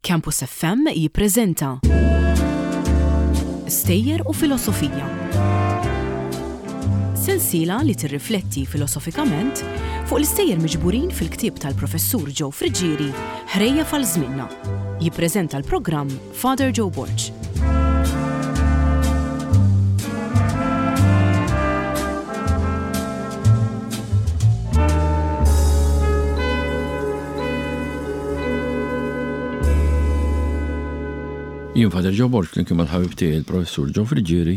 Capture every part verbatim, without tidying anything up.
Campus F M jippreżenta Stejjer u Filosofija. Sensiela li tirrifletti filosofikament fuq l-istejjer miġburin fil-ktieb tal-professur Joe Friggieri, Ħrejjef għal Żmienna. Jippreżenta l-programm Father Joe Borg. Jien Father Joe Borg, flimkien mal-ħabib tiegħi il-Professur Joe Friggieri,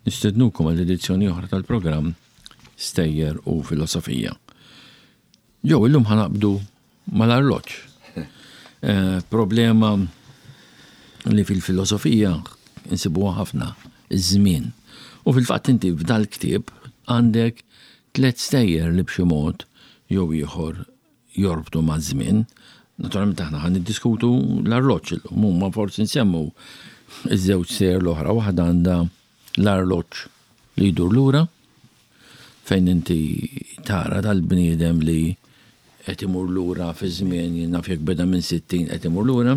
nistednukom għal edizzjoni oħra tal-programm Stejjer u Filosofija. Joe, illum ħa naqbdu mal-arloġġ. Eh, problema li fil-filosofija insibuha ħafna, iż-żmien. U fil-fatt inti f'dal-ktieb għandek tliet stejjer li b'xi mod jew ieħor jorbtu maż-żmien. Naturalment aħna ħa niddiskutu l-arloġġ illum, huma forsi nsemmu iż-żewġ stejjer l-oħra. Waħda għandha l-arloġġ li jdur lura, fejn inti tara dal-bniedem li qed imur lura fi żmien, jien naf jekk beda minn sittin qed imur lura.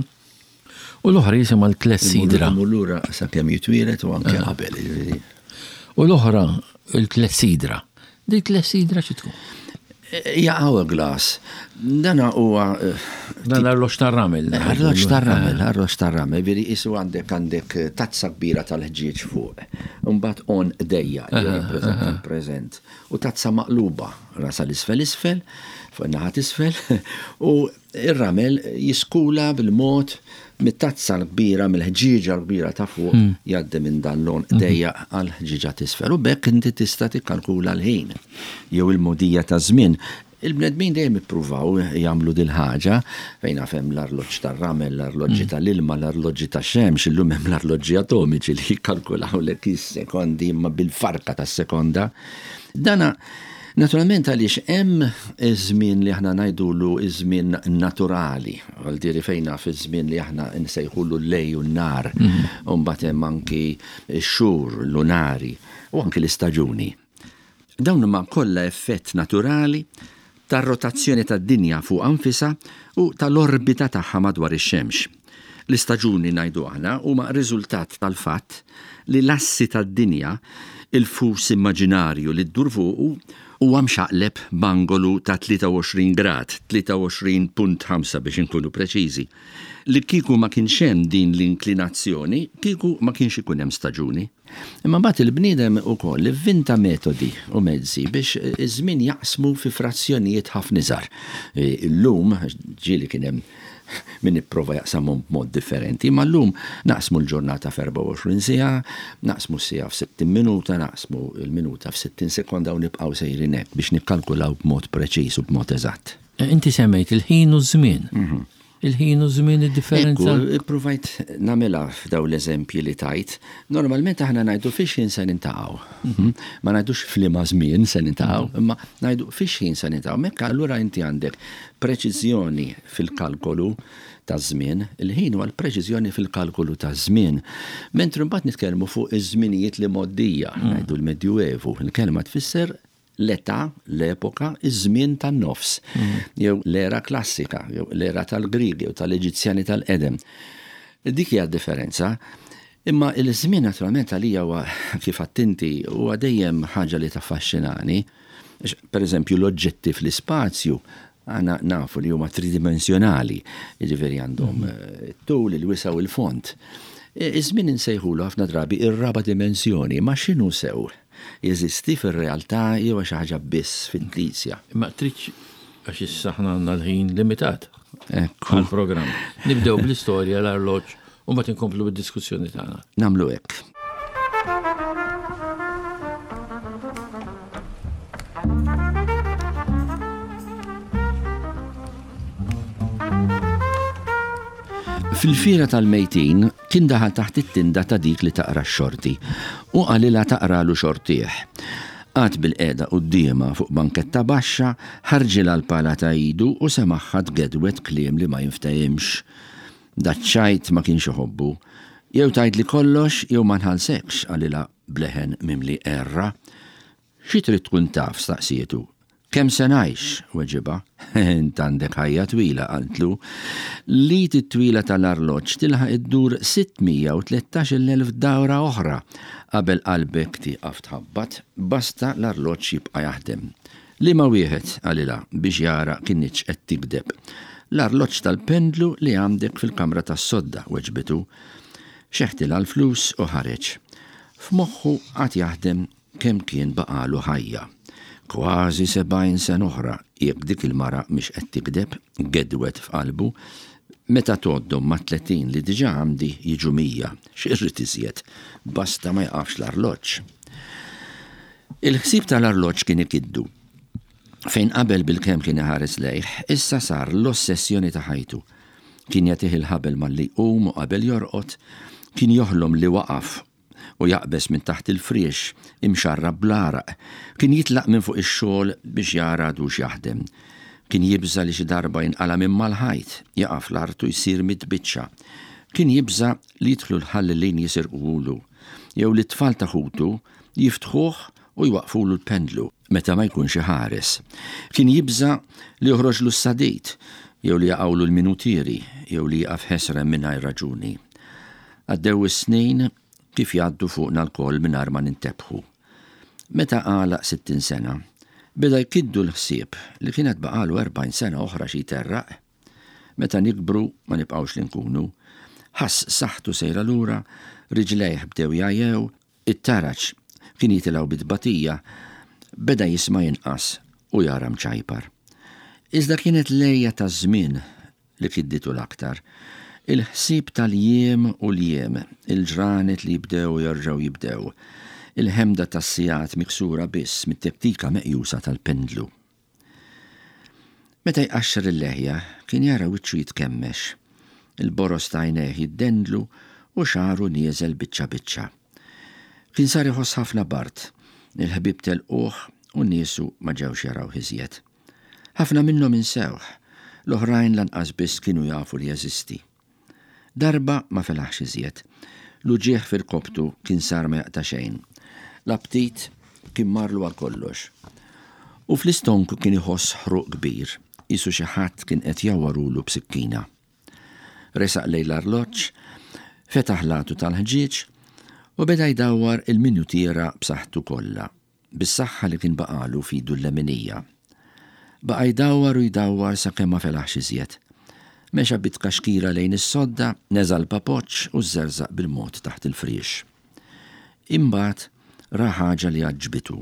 U l-oħra jisimha l-klessidra. Imur lura sakemm jitwieled u anke qabel, jiġifieri. U l-oħra il-klessidra. Dik klessidra xi tkun? Hija hourglass. Dana huwa eh, Dan l-arloġġ tar-ramel. Arloġġ tar-ramel, arloġġ tar-ramel, veri isu għandek għandek tazza kbira tal-ħġieġ fuq. Mbagħad għonq dejjaq li jirrappreżenta l-preżent. U tazza maqluba rasha l-isfel isfel, fuq in-naħa t'isfel, u ir-ramel jiskula bil-mod mit-tazza l-kbira, mill-ħġieġa l-kbira ta' fuq, jgħaddi minn dan l-għonq dejjaq għal ħġieġa t'isfel. U b'hekk inti tista' tikkalkula l-ħin jew il-mogħdija ta' żmien. Il-bnedmin dejjem ippruvaw jagħmlu dil-ħaġa, fejn naf hemm l-arloġġ tar-ramel, l-arloġġi tal-ilma, l-arloġġi tax-xemx, illum hemm l-arloġġi atomiċi li jikkalkulaw lek is-sekondi imma bil-farka tas-sekonda. Dana naturalment għaliex hemm iż-żmien li aħna ngħidulu iż-żmien naturali, għal diri fejn naf iż-żmien li aħna nsejħulu l-lejl u n-nhar, u mbagħad hemm anki x-xhur lunari u anki l-istaġuni. Dawn huma kollha effett naturali tar-rotazzjoni tad-dinja fuq nfisha u tal-orbita tagħha madwar ix-xemx. L-istaġuni, ngħidu aħna, huma riżultat tal-fatt li l-assi tad-dinja, il-fus immaġinarju li ddur fuqu, huwa mxaqleb b'angolu ta' tlieta u għoxrin grad, tlieta u għoxrin punt ħamsa biex inkunu preċiżi. Li kieku ma kienx hemm din l-inklinazzjoni, kieku ma kienx ikun hemm staġuni. Imma mbagħad il-bniedem ukoll ivvinta metodi u mezzi biex iż-żmien jaqsmu fi frazzjonijiet ħafna iżgħar. Illum ġieli kien hemm min ipprova jaqsamhom b'mod differenti, ma llum naqsmu l-ġurnata f'erbgħa u għoxrin siegħa, naqsmu s-siegħa f'sittin minuta, naqsmu l-minuta f'sittin sekonda u nibqgħu sejrin hekk biex nikkalkulaw b'mod preċiż u b'mod eżatt. Inti semmejt il-ħin u ż-żmien. Il-ħin u ż-żmien, id-differenza. Ekku, provajt nagħmilha f'daw l-eżempji li tajt. Normalment aħna ngħidu fiex ħin se niltaqgħu. Ma ngħidux f'liema żmien se niltaqgħu, imma ngħidu fiex ħin se niltaqgħu. Mekka allura inti għandek preċiżjoni fil-kalkolu ta' żmien, il-ħin huwa l-preċiżjoni fil-kalkolu ta' żmien. Mentri mbagħad nitkellmu fuq iż-żminijiet li mgħoddija, ngħidu l-Medjuevu, il-kelma tfisser l-età, l-epoka, iż-żmien tan-nofs, jew l-era klassika, jew l-era tal-Grigi jew tal-Eġizzjani tal-qedem. Dik hija differenza. Imma il-żmien naturalment għalija huwa, kif għedt inti, huwa dejjem ħaġa li taffaxxinani. Per eżempju, l-oġġetti fl-ispazju għana nafu li huma tridimensjonali, jiġifieri għandhom eh, tul, il-wisa' u il-fond. Iż-żmien insejħulu ħafna drabi ir-raba' dimensjoni, ma x'inhu sew? Jeżisti fir-realtà jew xi ħaġa biss fittizja? Ma tridx, għax issa aħna għandna l-ħin limitat Ekku. għal-programm. Nibdew bl-istorja l-arloġġ u mbagħad inkomplu bid-diskussjoni tagħna. Nagħmlu hekk. Fil-fiera tal-mejtin kien daħal taħt it-tinda ta' dik li taqra x-xorti u qalilha taqralu xortih. Qagħad bilqiegħda quddiemha fuq banketta baxxa, ħarġilha l-pala ta' idu u semagħha tgedwed kliem li ma jinftehimx. Daċ-ċajt ma kienx iħobbu. "Jew tgħidli kollox jew ma nħallsekx," qalilha b'leħen mimli qerra. "Xi trid tkun taf?" staqsietu. Kemm se ngħix, weġibha. Int għandek ħajja twila, qaltlu. L-id it-twila tal-arloġġ tilħaq iddur sitt mija u tlettax-il elf dawra oħra qabel qalbek tieqaf tħabbat, basta l-arloġġ jibqa' jaħdem. Liema wieħed, qalilha biex jara kinitx qed tikdeb. L-arloġġ tal-pendlu li għandek fil-kamra tas-sodda, weġbitu. Xeħtilha l-flus u ħareġ. F'moħħu għad jaħdem kemm kien baqalu ħajja. Kważi sebgħin sena oħra jekk dik il-mara mhix qed tikdeb, gedwet f'qalbu, meta tgħoddhom ma' tletin li diġà għandi jiġu mija, x'irrid iżjed, basta ma jaqafx l-arloġġ. Il-ħsieb tal-arloġġ kien ikiddu. Fejn qabel bil-kemm kien iħares lejh, issa sar l-ossessjoni ta' ħajtu. Kien jagħtih il-ħabel malli jqum u qabel jorqod, kien joħlom li waqaf u jaqbeż minn taħt il-friex imxarrab bl-għaraq. Kien jitlaq minn fuq ix-xogħol biex jara għadux jaħdem. Kien jibża' li xi darba jinqala' minn mal-ħajt, jaqa' fl-art u jsir mitbiċċa. Kien jibża' li jidħlu l-ħallelin jisirquhulu, jew li t-tfal ta' ħutu jiftħuh u jwaqfulu l-pendlu meta ma jkunx iħares. Kien jibża' li joħroġlu s-sadid, jew li jaqgħulu l-minutieri, jew li jaqaf ħesrem mingħajr raġuni. Għaddew is-snin kif jgħaddu fuqna lkoll mingħajr ma nintebħu. Meta għalaq sittin sena, beda jkiddu l-ħsieb li kienet baqalu erbgħin sena oħra xi jterraq. Meta nikbru ma nibqgħux li nkunu. Ħass saħħtu sejra lura, riġlejh bdew jgħajjew, it-taraġ kien jitilgħu bit-tbatija, beda jisma' jinqas u jara mċajpar. Iżda kienet lejja ta' żmien li kidditu l-aktar. Il-ħsieb tal-jiem u l-jiem, il-ġranet li jibdew u jerġgħu jibdew, il-ħemda tas-sigħat miksura biss mit-tektika meqjusa tal-pendlu. Meta jqaxxar il-leħja, kien jara wiċċu jitkemmex, il-boros ta' għajnejh jiddendlu u xagħru nieżel biċċa biċċa. Kien sar iħoss ħafna bard, il-ħbieb telquh u niesu ma ġewx jarawh iżjed. Ħafna minnhom insewh, l-oħrajn lanqas biss kienu jafu li jeżisti. Darba ma felaħx iżjed. L-uġigħ fil-koptu kien sar ma jaqta' xejn. L-aptit kien marlu għal kollox. U fl-istonku kien iħoss ħruq kbir, qisu xi ħadd kien qed jawwarulu b'sikkina. Resaq lejn l-arloġġ, fetaħ l-għatu tal-ħġieġ u beda jdawwar il-minutiera b'saħħtu kollha, bis-saħħa li kien baqalu f'idu l-leminija. Baqa' jdawwar u jdawwar sakemm ma felaħx iżjed. Mexa bit-tkaxkira lejn is-sodda, neża' l-papoċċ u żerżaq bil-mod taħt il-friex. Imbagħad ra ħaġa li għaġbitu.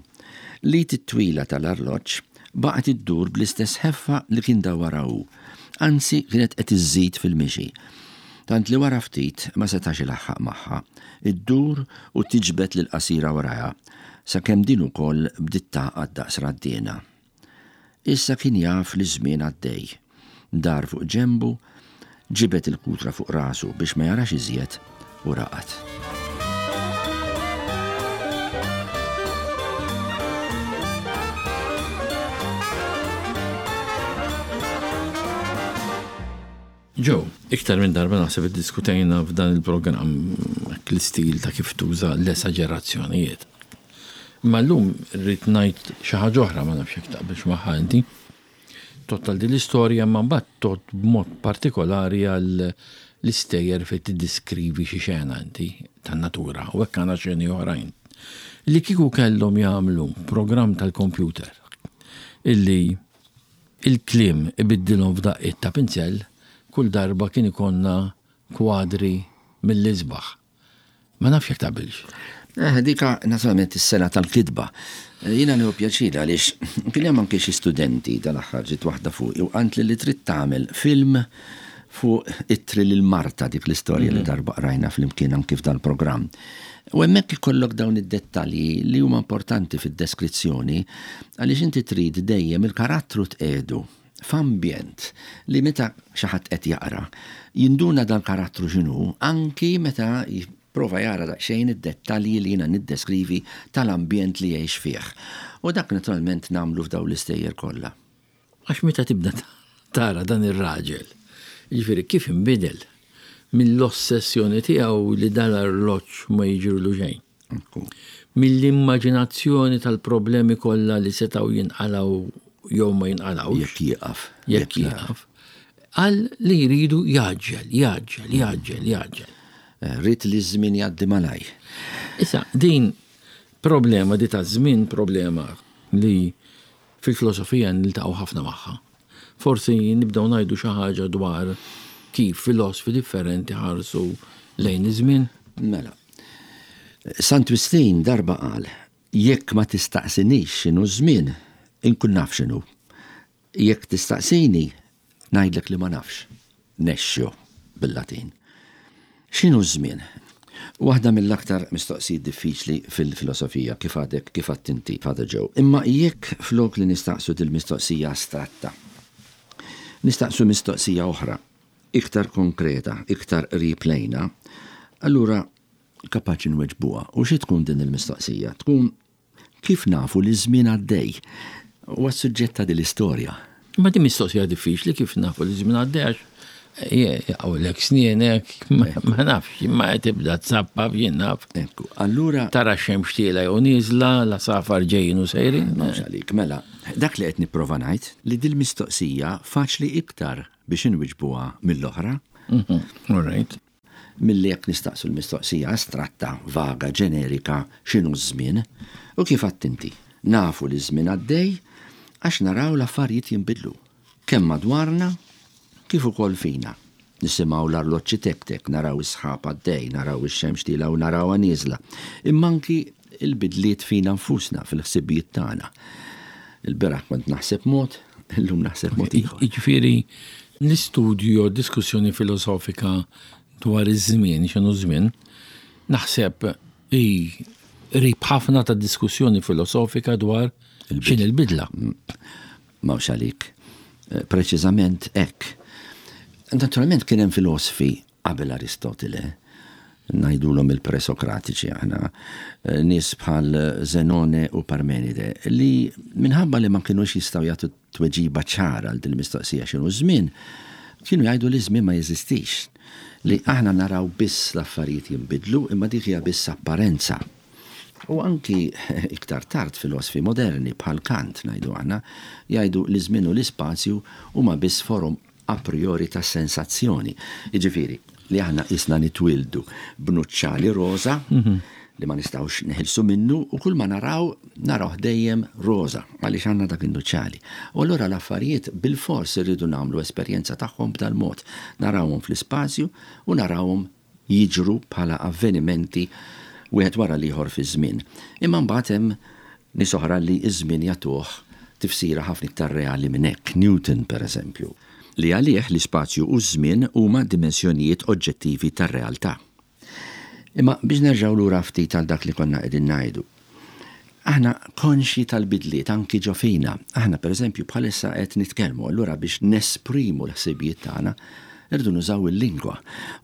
L-id it-twila tal-arloġġ baqgħet iddur bl-istess ħeffa li kien dawwarha hu, anzi kienet qed iżżid fil-mixi. Tant li wara ftit ma setax ilaħħaq magħha, iddur u tiġbed lil qasira warajha, sakemm din ukoll bdiet tagħqad daqs raddiena. Issa kien jaf li ż-żmien għaddej. Dar fuq ġembu, ġibet il-kutra fuq rasu biex ma jarax iżjed u raqad. Joe, iktar minn darba naħseb iddiskutejna f'dan il-programm l-istil ta' kif tuża l-esaġerazzjonijiet. Imma llum rrid ngħid xi ħaġa oħra, ma nafx jekk taqbilx magħha inti. Tgħodd għal din l-istorja, imma mbagħad tgħodd b'mod partikolari għal l-istejjer fejn tiddiskrivi xi xena inti tan-natura u hekk għandna xeni oħrajn. Li kieku kellhom jagħmlu programm tal-kompjuter illi il-kliem ibiddilhom f'daqqiet ta' pinzell, kull darba kien ikonna kwadri mill-isbaħ. Ma nafx jekk taqbilx. Eh, dika naturalment is-sena tal-kitba. Eh, jiena nieħu pjaċir għaliex kien hemm anke xi studenti tal-aħħar ġiet waħda fuq u qalt li li trid tagħmel film fuq ittri lil Marta, dik l-istorja li Mhm. darba qrajna flimkien anke f'dan il-programm. U hemmhekk ikollok dawn id-dettalji li huma importanti fid-deskrizzjoni għaliex inti trid dejjem il-karattru tqiegħdu f'ambjent li meta xi ħadd qed jaqra jinduna dan karattru x'inhu anki meta jipprova jara daqsxejn id-dettalji li jiena niddeskrivi tal-ambjent li jgħix fih. U dak naturalment nagħmlu f'dawn l-istejjer kollha. Għax meta tibda tara dan ir-raġel, jiġifieri kif inbidel mill-ossessjoni tiegħu li dan l-arloġġ ma jiġrilu xejn. Ekku. Mill-immaġinazzjoni tal-problemi kollha li setgħu jinqalgħu jew ma jinqalgħux. Jekk jieqaf. Jekk jieqaf. Għal li jridu jgħaġġel, jgħaġġel, jgħaġġel, jgħaġġel. Eh, Rrid li ż-żmien jgħaddi malaj. Issa, din problema di ta' żmien problema li fil-filosofija niltaqgħu ħafna magħha. Forsi nibdew ngħidu xi ħaġa dwar kif filosofi differenti ħarsu lejn iż-żmien. Mela. Sant Wistin darba qal, jekk ma tistaqsinix x'inhu żmien, inkun naf x'inhu. Jekk tistaqsini, ngħidlek li ma nafx. Nescio bil-Latin. X'inhu żmien? Waħda mill-aktar mistoqsijiet diffiċli fil-filosofija kif għadek kif għedt inti Father Joe. Imma jekk flok li nistaqsu dil-mistoqsija astratta, nistaqsu mistoqsija oħra, iktar konkreta, iktar qrib lejna, allura kapaċi nweġbuha. U xi tkun din il-mistoqsija? Tkun kif nafu li żmien għaddej? Huwa s-suġġett ta' din l-istorja. Ma din mistoqsija diffiċli kif nafu li żmien għaddej għax jaqgħulek snienek, ma ma nafx, ma tibda tsappap jien naf. Ekku, allura Tara xemx tiela jew nieżla, l-għasafar ġejjin u sejrin. Mhux għalik, mela, dak li qed nipprova ngħid li dil mistoqsija faċli iktar biex inwiġbuha mill-oħra Mhm, All right. milli jekk nistaqsu l-mistoqsija astratta, vaga, ġenerika, x'inhu ż-żmien u kif għedt inti. Nafu li ż-żmien għaddej għax naraw l-affarijiet jinbidlu. Kemm madwarna, kif ukoll fina. Nisimgħu l-arloġġi tek-tek, naraw is-sħab għaddej, naraw ix-xemx tiela u narawha nieżla. Imma anki il-bidliet fina nfusna fil-ħsibijiet tagħna. Il-bieraħ kont naħseb mod, illum naħseb mod ieħor. Jiġifieri l-istudju jew diskussjoni filosofika dwar iż-żmien, x'inhu żmien, naħseb hi qrib ħafna ta' diskussjoni filosofika dwar x'inhi l-bidla. Mhux għalik. Eh, Preċiżament hekk. Naturalment kien hemm filosofi qabel Aristotele, ngħidulhom il-presokratiċi aħna, eh, nies bħal Zenone u Parmenide, li minħabba li ma kienux jistgħu jagħtu tweġiba ċara għal din mistoqsija x'inhu żmien, kienu jgħidu li żmien ma jeżistix. Li aħna naraw biss l-affarijiet jinbidlu, imma dik hija biss apparenza. U anki iktar tard filosofi moderni bħal Kant ngħidu aħna, jgħidu li żmien u l-ispazju huma biss forom a priori ta' sensazzjoni. Jiġifieri, li aħna isna nitwildu b'nuċċali roza li ma nistgħux neħilsu minnu u kull ma naraw naraw dejjem roza għaliex għandna dak in-nuċċali. U allura l-affarijiet bil-fors irridu nagħmlu esperjenza tagħhom b'dal-mod. Narawhom fl-ispazju u narawhom jiġru bħala avvenimenti wieħed wara l-ieħor fi żmien. Imma mbagħad hemm nies oħra li ż-żmien jagħtuh tifsira ħafna iktar reali minn hekk. Newton pereżempju, li għalih l-ispazju u ż-żmien huma dimensjonijiet oġġettivi tar-realtà. Imma biex nerġgħu lura ftit għal dak li konna qegħdin ngħidu. Aħna konxji tal-bidliet anki ġo fina. Aħna pereżempju bħalissa qed nitkellmu, allura biex nesprimu l-ħsibijiet tagħna irridu nużaw il-lingwa.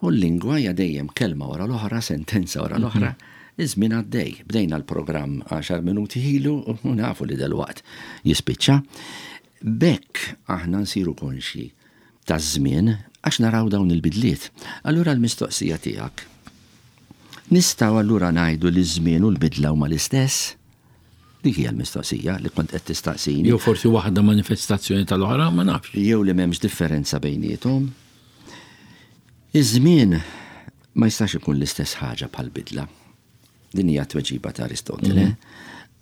U l-lingwa hija dejjem kelma wara l-oħra, sentenza wara l-oħra. Iż-żmien għaddej. Bdejna l-programm għaxar minuti ilu u nafu li delwaqt jispiċċa. B'hekk aħna nsiru konxji taż-żmien għax naraw dawn il-bidliet. Allura l-mistoqsija tiegħek. Nistgħu allura ngħidu li ż-żmien u l-bidla huma l-istess? Dik hija l-mistoqsija li kont qed tistaqsini. Jew forsi waħda manifestazzjoni tal-oħra, ma nafx. Jew li m'hemmx differenza bejniethom. Iż-żmien ma jistax ikun l-istess ħaġa bħal bidla. Din hija tweġiba ta' Aristotele.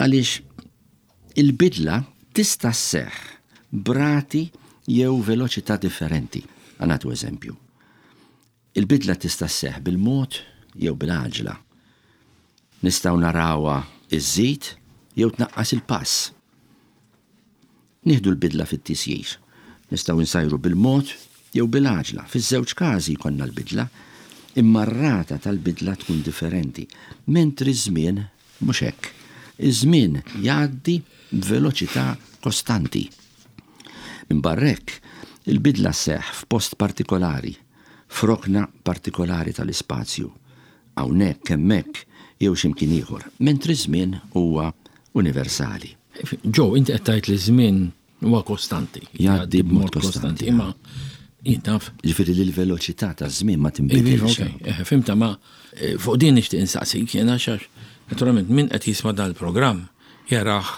Għaliex il-bidla tista' sseħħ b'rati jew veloċità differenti. Ħa nagħtu eżempju. Il-bidla tista' sseħħ bil-mod jew bil-għaġla. Nistgħu narawha iżżid jew tnaqqas il-pass. Nieħdu l-bidla fit-tisjir. Nistgħu nsajru bil-mod jew bil-għaġla. Fiż-żewġ każi jkollna l-bidla, imma r-rata tal-bidla tkun differenti. Mentri ż-żmien mhux hekk. Iż-żmien jgħaddi b'veloċità kostanti. Minn barra hekk, il-bidla sseħħ f'post partikolari, f'rokna partikolari tal-ispazju, hawnhekk hemmhekk jew x'imkien ieħor, mentri żmien huwa universali. Joe, inti qed tgħid li żmien huwa kostanti. Jgħaddi b'mod kostanti, Imma jien naf. Ġifieri li l-veloċità taż-żmien ma Iva, tinbidilx. ok, eh, fhimtha, ma eh, fuq din nixtieq insaqsik jiena għax naturalment min qed jisma' dan il-programm jarah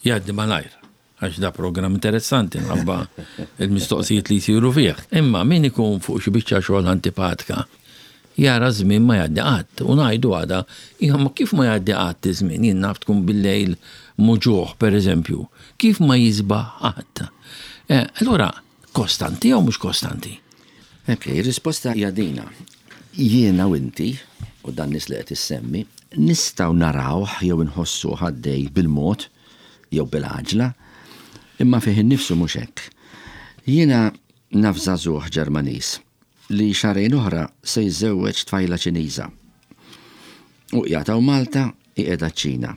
jgħaddi malajr. għax da programm interessanti nħabba il-mistoqsijiet li jsiru fih. Imma min ikun fuq xi biċċa xogħol antipatika, jara żmien ma jgħaddi qatt u ngħidu għada, ma kif ma jgħaddi qatt iż-żmien, jien naf tkun bil-lejl muġugħ pereżempju, kif ma jisbaħ qatt. Eh, allura, kostanti jew mhux kostanti? Ok, risposta hija dina. Jiena u inti, u dan nies li qed issemmi, nistgħu narawh jew inħossu għaddej bil-mod jew bil-għaġla, imma fih innifsu mhux hekk. Jiena naf żagħżugħ Ġermaniż li xahrejn oħra se jiżżewweġ tfajla Ċiniża. U jataw Malta qiegħda ċ-Ċina.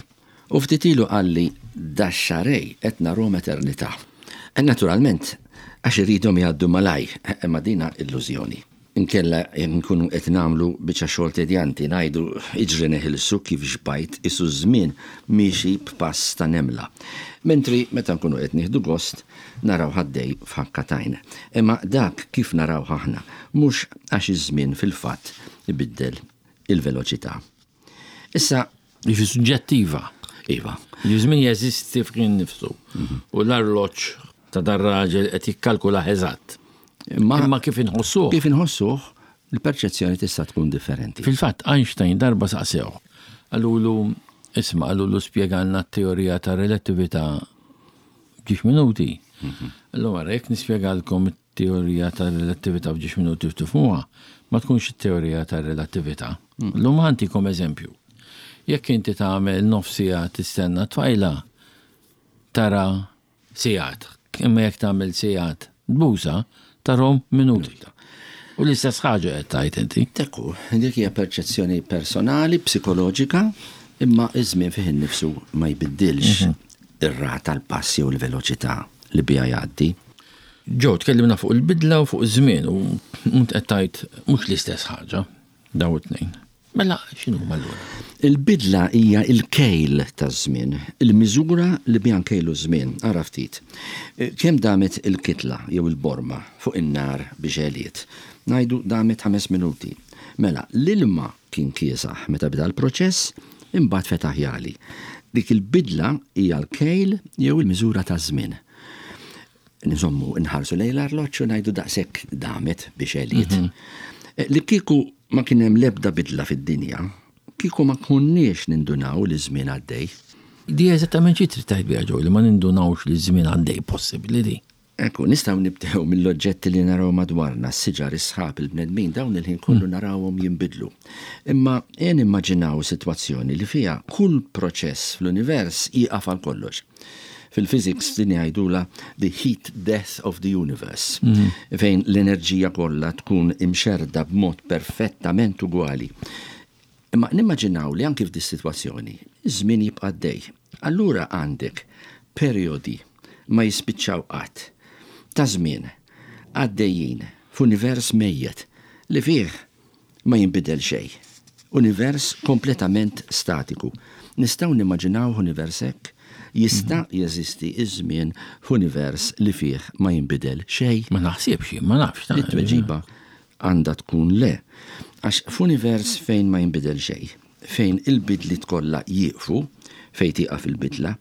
U ftit ilu qalli dax-xahrejn qed narhom eternità. E naturalment, għax irridhom jgħaddu malaj, imma dina illużjoni. Inkella nkunu qed nagħmlu biċċa xogħol tedjanti ngħidu iġri neħilsu kif xbajt isu żmien miexi b'pass ta' nemla. Mentri meta nkunu qed nieħdu gost naraw għaddej f'ħakka t'għajn. Imma dak kif naraw aħna mhux għax iż-żmien fil-fatt ibiddel il-veloċità. Issa Jiġi suġġettiva. Iva. Iż-żmien jeżisti fih nifsu. U l-arloġġ ta' dar-raġel qed jikkalkula eżatt. Imma Imma kif inħossuh? kif inħossuh, il-perċezzjoni tista' tkun differenti. Fil-fatt Einstein darba saqsew. Qalulu, isma', qalulu spjegalna t-teorija ta' relattività f'ġiex minuti. Allura, jekk nispjegalkom it-teorija ta' relattività f'ġiex minuti tifhmuha, ma tkunx it-teorija ta' relattività. Illum ħa ntikom eżempju. Jekk inti tagħmel nofs siegħa tistenna tfajla, tara sigħat. Imma jekk tagħmel sigħat tbusha, tarahom minuti. U l-istess ħaġa qed tgħid inti. Tekku, dik hija perċezzjoni personali, psikoloġika, imma iż-żmien fih innifsu ma jbiddilx ir-rata l-pass jew l-veloċità li biha jgħaddi. Joe, tkellimna fuq il-bidla u fuq iż-żmien u int qed tgħid mhux l-istess ħaġa daw it-tnejn. Mela x'inhu allura? Il-bidla hija il-kejl taż-żmien, il-miżura li biha nkejlu żmien. Ara ftit. Kemm damet il-kitla jew il-borma fuq in-nar biex għeliet? Ngħidu damet ħames minuti. Mela, l-ilma kien kiesaħ meta beda l-proċess, imbagħad fetaħ jagħli. Dik il-bidla hija l-kejl jew il-miżura taż-żmien. Nżommu nħarsu lejn l-arloġġ u ngħidu daqshekk damet biex għeliet. Li kieku ma kien hemm l-ebda bidla fid-dinja, kieku ma konniex nindunaw li żmien għaddej. Di eżattament xi trid tgħid biha Joe li ma nindunawx li żmien għaddej possibbli di. Ekku, nistgħu nibdew mill-oġġetti li naraw madwarna, s-siġar, is-sħab, il-bnedmin, dawn il-ħin kollu narawhom jinbidlu. Imma ejja nimmaġinaw sitwazzjoni li fiha kull proċess fl-univers jieqaf għal kollox. Fil-physics din jgħidula the heat death of the universe, fejn l-enerġija kollha tkun imxerda b'mod perfettament ugwali. Imma nimmaġinaw li anki f'di sitwazzjoni, iż-żmien jibqa' għaddej. Allura għandek periodi ma jispiċċaw qatt ta' żmien għaddejjin f'univers mejjet li fih ma jinbidel xejn. Univers kompletament statiku. Nistgħu nimmaġinaw univers hekk? Jista' jeżisti iż-żmien f'univers li fih ma jinbidel xejn? Ma naħsibx, ma nafx. ta' It-tweġiba għandha tkun le. Għax f'univers fejn ma jinbidel xejn, fejn il-bidliet kollha jieqfu, fejn tieqaf il-bidla,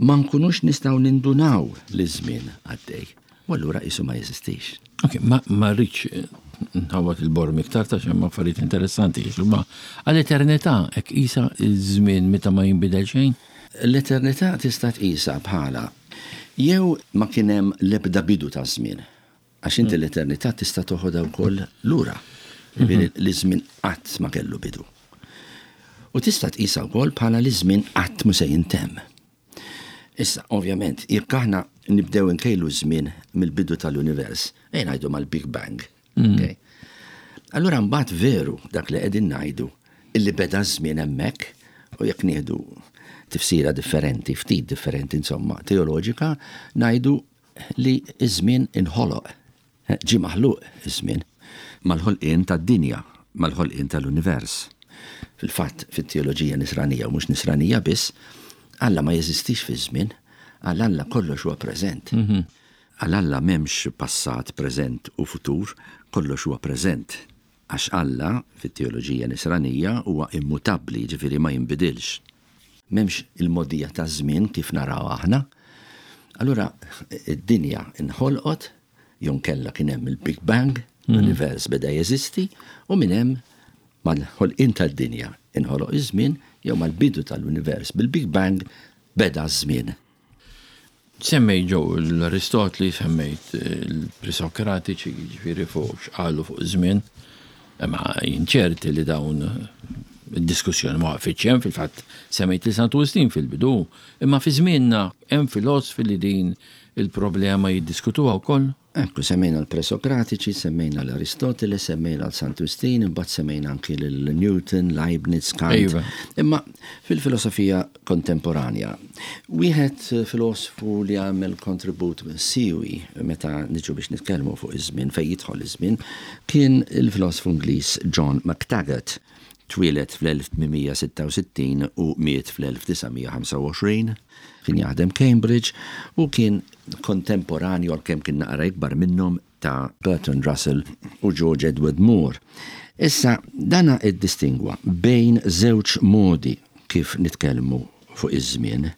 ma nkunux nistgħu nindunaw li żmien għaddej. U allura qisu ma jeżistix. Ok, ma ma rridx nħawat il-borm iktar ta' xemma affarijiet interessanti, ma għall-eternità hekk qisha iż-żmien meta ma jinbidel xejn? L-eternità tista' tqisha bħala jew ma kien hemm l-ebda bidu ta' żmien. Għax inti l-eternità tista' toħodha wkoll lura. Jiġifieri li żmien qatt ma kellu bidu. U tista' tqisha wkoll bħala li żmien qatt mhu se jintemm. Issa, ovvjament, jekk aħna nibdew nkejlu żmien mill-bidu tal-univers, ejja ngħidu mal-Big Bang. Okay? Allura mbagħad veru dak li qegħdin ngħidu illi beda żmien hemmhekk u jekk nieħdu tifsira differenti, ftit differenti insomma, teoloġika, ngħidu li iż-żmien inħoloq, ġie maħluq iż-żmien mal-ħolqien tad-dinja, mal-ħolqien tal-univers. Fil-fatt, fit-teoloġija nisranija u mhux nisranija biss, Alla ma jeżistix fi żmien, għal Alla kollox huwa preżent. Għal Alla m'hemmx passat, preżent u futur, kollox huwa preżent. Għax Alla, fit-teoloġija nisranija, huwa immutabbli, ġifieri ma jinbidilx. M'hemmx il-mogħdija ta' żmien kif naraw aħna, Allura id-dinja inħolqot, jew inkella kien hemm il-Big Bang, l-univers beda jeżisti, u minn hemm mal-ħolqien tad-dinja inħoloq iż-żmien jew mal-bidu tal-univers bil-Big Bang beda ż-żmien. Semmejt ġew l-Aristotli, semmejt il-Presokratiċi, ġifieri fuq x'qalu fuq żmien, imma jien ċerti li dawn id-diskussjoni ma waqfitx hemm, fil-fatt semmejt li Santu Wistin fil-bidu, imma fi żmienna hemm filosofi li din il-problema jiddiskutuha wkoll. Ekku, semmejna l-Presokratiċi, semmejna l-Aristotele, semmejna l-Santu Wistin, imbagħad semmejna anki l-Newton, Leibniz, Kant. Iva. Imma fil-filosofija kontemporanja, wieħed filosofu li għamel kontribut siwi meta niġu biex nitkellmu fuq iż-żmien, fejn jidħol iż-żmien, kien il-filosofu Ingliż John McTaggart. Twieled fl-elf tmien mija sitta u sittin u miet fl-elf disa' mija ħamsa u għoxrin, kien jaħdem Cambridge u kien kontemporanju għalkemm kien naqra ikbar minnhom ta' Bertrand Russell u George Edward Moore. Issa, dana iddistingwa bejn żewġ modi kif nitkellmu fuq iż-żmien.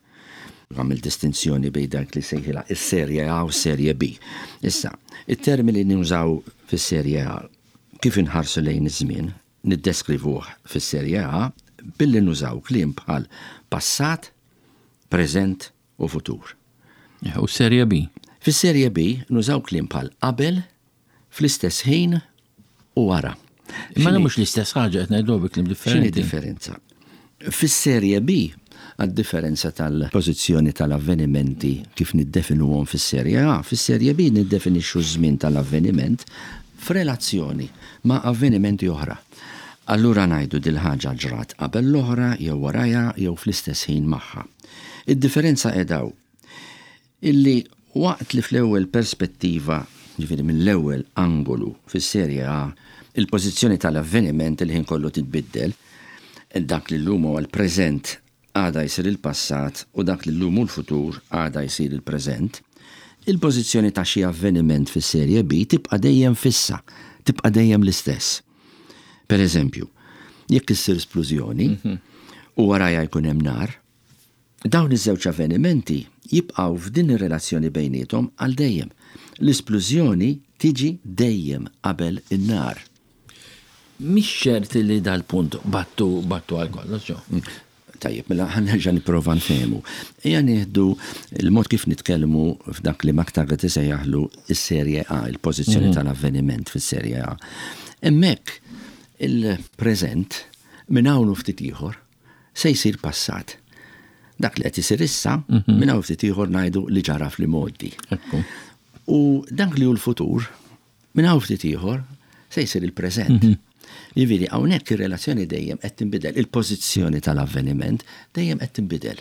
Għamil distinzjoni bejn dak li sejħilha is-serje A u s-serje B. Issa, it-termini li nużaw fis-serje A kif inħarsu lejn iż-żmien, niddeskrivuh fis-serje A billi nużaw kliem bħal passat, preżent u futur. U serje B? Fis-serje B nużaw kliem bħal qabel, fl-istess ħin u wara. Imma X'inhi mhux l-istess ħaġa qed ngħidu bi kliem differenti. X'inhi differenza? Fis-serje B, għad-differenza tal-pożizzjoni tal-avvenimenti kif niddefinuhom fis-serje A, fis-serje B niddefinixxu ż-żmien tal-avveniment f'relazzjoni ma' avvenimenti oħra. Allura ngħidu dil-ħaġa ġrat qabel l-oħra jew warajha jew fl-istess ħin magħha. Id-differenza qegħdaw illi waqt li fl-ewwel perspettiva, ġifieri mill-ewwel angolu fis-serje A, il-pożizzjoni tal-avveniment il-ħin kollu titbiddel, dak li llum huwa l-preżent għada jsir il-passat u dak li llum hu l-futur għada jsir il-preżent, il-pożizzjoni ta' xi avveniment fis-serje B tibqa' dejjem fissa, tibqa' dejjem l-istess. Per eżempju, jekk issir splużjoni Mhm. u warajha jkun hemm nar, dawn iż-żewġ avvenimenti jibqgħu f'din ir-relazzjoni bejniethom għal dejjem. L-isplużjoni tiġi dejjem qabel in-nar. Mhix ċert li dal-punt battu, battu għal kollox, ġo. Mm. Tajjeb, mela ħa nerġa' nipprova nfehmu. Ejja nieħdu il-mod kif nitkellmu f'dak li McTaggart isejjaħlu is-serje A, il-pożizzjoni Mhm. tal-avveniment fis-serje A. Hemmhekk il-preżent minn hawn u ftit ieħor se jsir passat. Dak li qed isir issa, Mhm. minn hawn ftit ieħor ngħidu li ġara fl-imgħoddi. Ekku. U dak li hu l-futur, minn hawn ftit ieħor se jsir il-preżent. Mhm. Jiġifieri hawnhekk ir-relazzjoni dejjem qed tinbidel, il-pożizzjoni tal-avveniment dejjem qed tinbidel.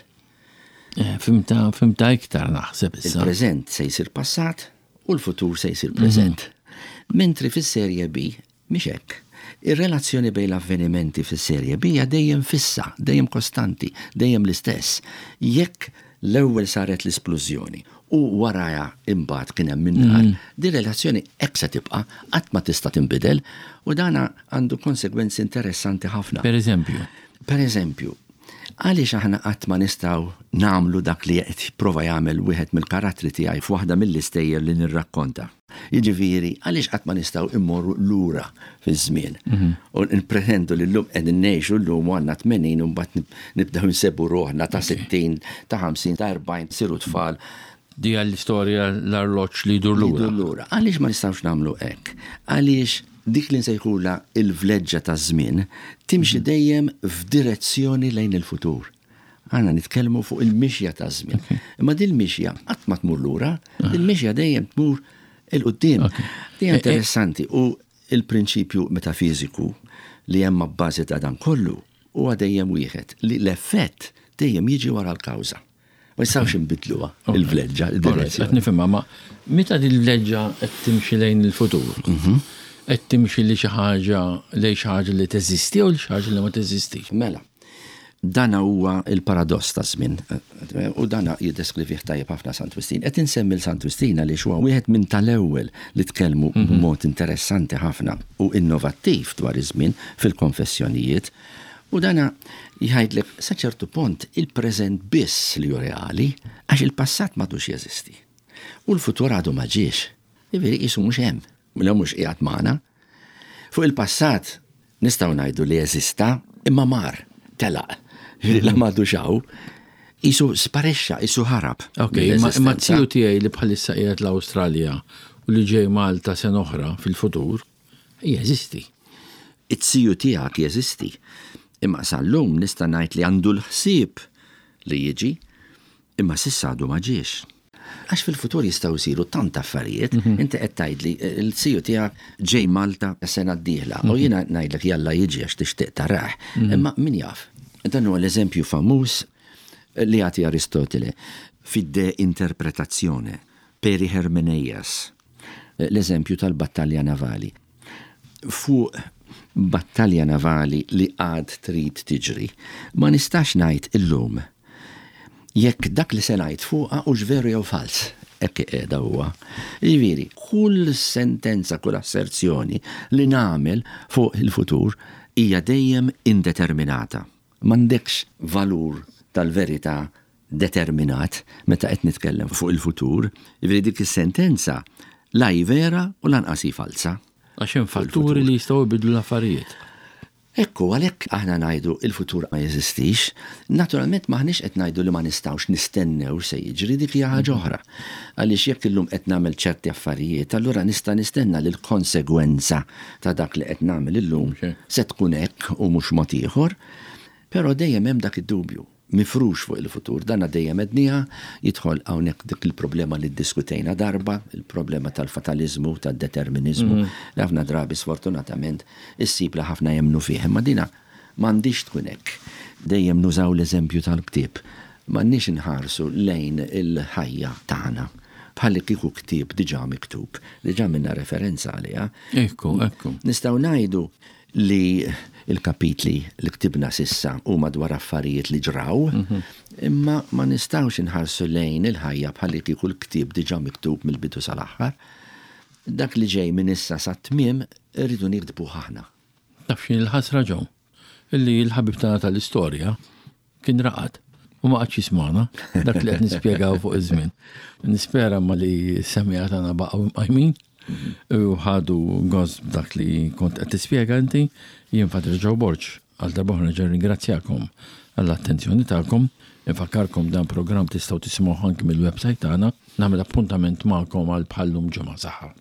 Eh, fimta, fimta iktar naħseb issa. Il-preżent se jsir passat u l-futur se jsir preżent. Mhm. Mentri fis-serje B mhix hekk. Ir-relazzjoni bejn l-avvenimenti fis-serje B hija dejjem fissa, dejjem kostanti, dejjem l-istess. Jekk l-ewwel saret l-isplużjoni u warajha imbagħad kien hemm min-nar, Mm. din relazzjoni hekk se tibqa' qatt ma tista' tinbidel u dana għandu konsegwenzi interessanti ħafna. Per eżempju? Per eżempju, għaliex aħna qatt ma nistgħu nagħmlu dak li qed jipprova jagħmel wieħed mill-karattri tiegħi f'waħda mill-istejjer li nirrakkonta. Jiġifieri, għaliex qatt ma nistgħu immorru lura fiż-żmien. Mhm. U npretendu li llum qegħdin ngħixu llum u għandna tmenin u mbagħad nib-, nibdew nsebu ruħna ta' sittin, ta' ħamsin, ta' erbgħin, siru tfal. Di għall-istorja l-arloġġ li jdur Li lura. jdur lura. Għaliex ma nistgħux nagħmlu hekk? Għaliex dik li nsejħula il-vleġġa ta' żmien timxi Mhm. dejjem f'direzzjoni lejn il-futur. Għanna nitkellmu fuq il-mixja ta' żmien. Ok. Imma din il-mixja qatt ma tmur lura, Ah. il-mixja dejjem tmur il-qudiem. Ok. Di E, e interessanti u il-prinċipju metafiżiku li hemm abbażi ta' dan kollu huwa dejjem wieħed li l-effett dejjem jiġi wara l-kawża. Ma nistgħux inbidluha Ok. il-vleġġa, Alright, il-direzzjoni. Qed nifhimha, ma meta din il-vleġġa qed timxi lejn il-futur, Mhm. qed timxi li xi ħaġa lejn xi ħaġa li teżisti jew li xi ħaġa li ma teżistix. Mela, dana huwa il-paradoss ta' żmien u dana jiddeskrivih tajjeb ħafna Sant Wistin. Qed insemmi l-Sant Wistin għaliex huwa wieħed minn tal-ewwel li tkellmu Mhm. b'mod interessanti ħafna u innovattiv dwar iż-żmien fil-konfessjonijiet. U dana jgħidlek sa ċertu punt il-preżent biss li hu reali, għax il-passat m'għadux jeżisti. U l-futur għadu ma ġiex. Jiġifieri qisu mhux hemm, la mhux qiegħed magħna. Fuq il-passat nistgħu ngħidu li jeżista imma mar, telaq. Jiġifieri la m'għadux hawn, qisu sparixxa, qisu ħarab. Ok, imma imma z-ziju tiegħi li bħalissa qiegħed l-Awstralja u li ġej Malta sena oħra fil-futur, jeżisti. It-ziju tiegħek jeżisti. Imma sal-lum nista' ngħid li għandu l-ħsieb li jiġi, imma s'issa għadu ma ġiex. Għax fil-futur jistgħu jsiru tant affarijiet, inti qed tgħidli l-ziju tiegħek ġej Malta sena d-dieħla, u jiena ngħidlek jalla jiġi għax tixtieq tarah, imma min jaf. Dan huwa l-eżempju famuż li jagħti Aristotele fid-De Interpretatione, Peri Hermeneias, l-eżempju tal-battalja navali. Fuq battalja navali li għad trid tiġri, ma nistax ngħid illum jekk dak li se ngħid fuqha hux veru jew fals. Hekk qiegħda huwa. Jiġifieri, kull sentenza, kull asserzjoni li nagħmel fuq il-futur hija dejjem indeterminata. M'għandekx valur tal-verità determinat meta qed nitkellem fuq il-futur. Jiġifieri dik is-sentenza la hi vera u lanqas hi falsa. Għax hemm fatturi li jistgħu jbidlu l-affarijiet. Ekku, għalhekk aħna ngħidu il-futur ma jeżistix, naturalment m'aħniex qed ngħidu li ma nistgħux nistennew se jiġri, dik hija ħaġa oħra. Għaliex jekk illum qed nagħmel ċerti affarijiet, allura nista' nistenna li l-konsegwenza ta' dak li qed nagħmel illum se tkun hekk u mhux mod ieħor, però dejjem hemm dak id-dubju mifrux fuq il-futur. Dana dejjem ednija jidħol hawnhekk dik il-problema li ddiskutejna darba, il-problema tal-fatalizmu, tad-determinizmu, li ħafna drabi sfortunatament issib li ħafna jemnu fih. Imma dina m'għandix tkun hekk. Dejjem nużaw l-eżempju tal-ktieb. M'għandniex inħarsu lejn il-ħajja tagħna bħalli kieku ktieb diġà miktub, diġà minna referenza għaliha. Ekku, ekku. Nistgħu ngħidu li il-kapitli li ktibna s'issa huma dwar affarijiet li ġraw, imma ma nistgħux inħarsu lejn il-ħajja bħalli kieku l-ktieb diġà miktub mill-bidu sal-aħħar. Dak li ġej minn issa sat-tmiem irridu niktbu aħna. Taf x'inhi l-ħasra, Joe? Illi l-ħabib tagħna tal-istorja kien raqad u ma qagħadx jismagħna dak li qed nispjegaw fuq iż-żmien. Nispera ma li semmiegħa tagħna baqgħu mqajmin u ħadu gost dak li kont qed tispjega inti. Jien Father Joe Borg, għal darb'oħra nerġa' ringrazzjakom għall-attenzjoni tagħkom. Infakkarkom dan programm tistgħu tisimgħu anki mill-website tagħna. Nagħmel appuntament magħkom għal bħallum ġimgħa saħħa.